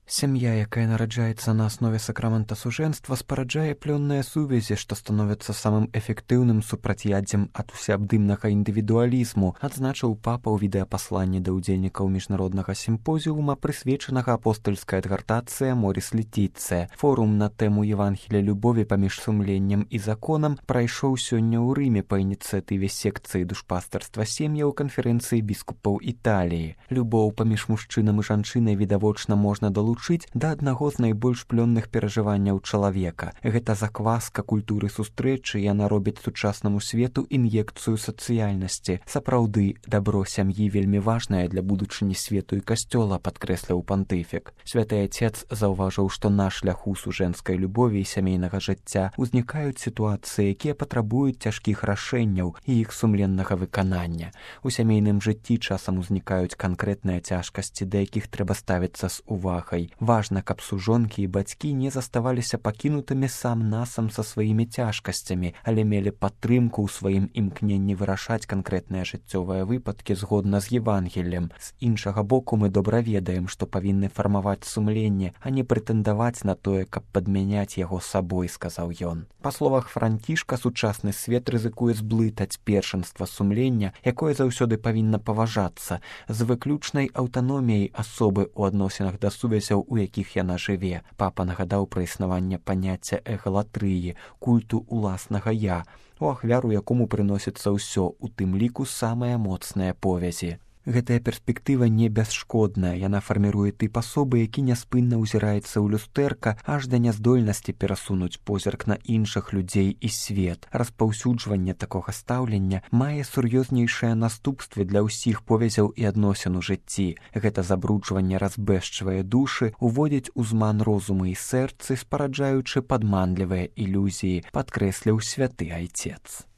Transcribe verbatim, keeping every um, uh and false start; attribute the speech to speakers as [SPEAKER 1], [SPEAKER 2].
[SPEAKER 1] Сям'я, якая нараджаецца на аснове сакрамента сужэнства, спараджае плённыя сувязі, што становяцца самым эфектыўным супрацьяддзем ад усеабдымнага індывідуалізму, адзначыў папа ў відэапасланні да ўдзельнікаў міжнароднага сімпозіума, прысвечанага апостальскай адгартацыі Моріс Летіцыя. Форум на тэму Евангелія любові паміж сумленнем і законам прайшоў сёння ў Рыме па ініцыятыве секцыі душпастарства сем'яў канферэнцыі біскупаў Італіі. Любоў паміж мужчынам і жанчынай відавочна можна далучыць да аднаго з найбольш плённых перажыванняў чалавека. Гэта закваска культуры сустрэчы, яна робіць сучаснаму свету ін'екцыю сацыяльнасці. Сапраўды, дабро сям'і вельмі важнае для будучыні свету і касцёла, падкрэсліў пантыфік. Святы Отец заўважыў, што на шляху сужэнскай любові і сямейнага жыцця ўзнікаюць сітуацыі, якія патрабуюць цяжкіх рашэнняў і іх сумленнага выканання. У сямейным жыцці часам узнікаюць канкрэтныя цяжкасці, да якіх трэба ставіцца з увагай. Важна, каб сужонкі і бацькі не заставаліся пакінутымі сам-насам са сваімі цяжкасцямі, але мелі падтрымку ў сваім імкненні вырашаць канкрэтныя жыццёвыя выпадкі згодна з Евангеллем. З іншага боку, мы добра ведаем, што павінны фармаваць сумленне, а не прэтэндаваць на тое, каб падмяняць яго сабой, сказаў ён. Па словах Францішка, сучасны свет рызыкуе зблытаць першынства сумлення, якое заўсёды павінна паважацца, з выключнай аўтаноміяй асобы ў адносінах да сувязяў, у якіх яна жыве. Папа нагадаў пра існаванне паняцця эгалатрыі, культу уласнага я, у ахвяру якому прыносіцца ўсё, у тым ліку самыя моцныя повязі. Гэтая перспектыва не бясшкодная, яна фарміруе тып асобы, які няспынна ўзіраецца ў люстэрка, аж да няздольнасці перасунуць позірк на іншых людзей і свет. Распаўсюджванне такога стаўлення мае сур'ёзнейшыя наступствы для ўсіх повязяў і адносін у жыцці. Гэта забруджванне разбэшчвае душы, уводзіць у зман розуму і сэрцы, спараджаючы падманлівыя ілюзіі, падкрэсліў святы Айцец.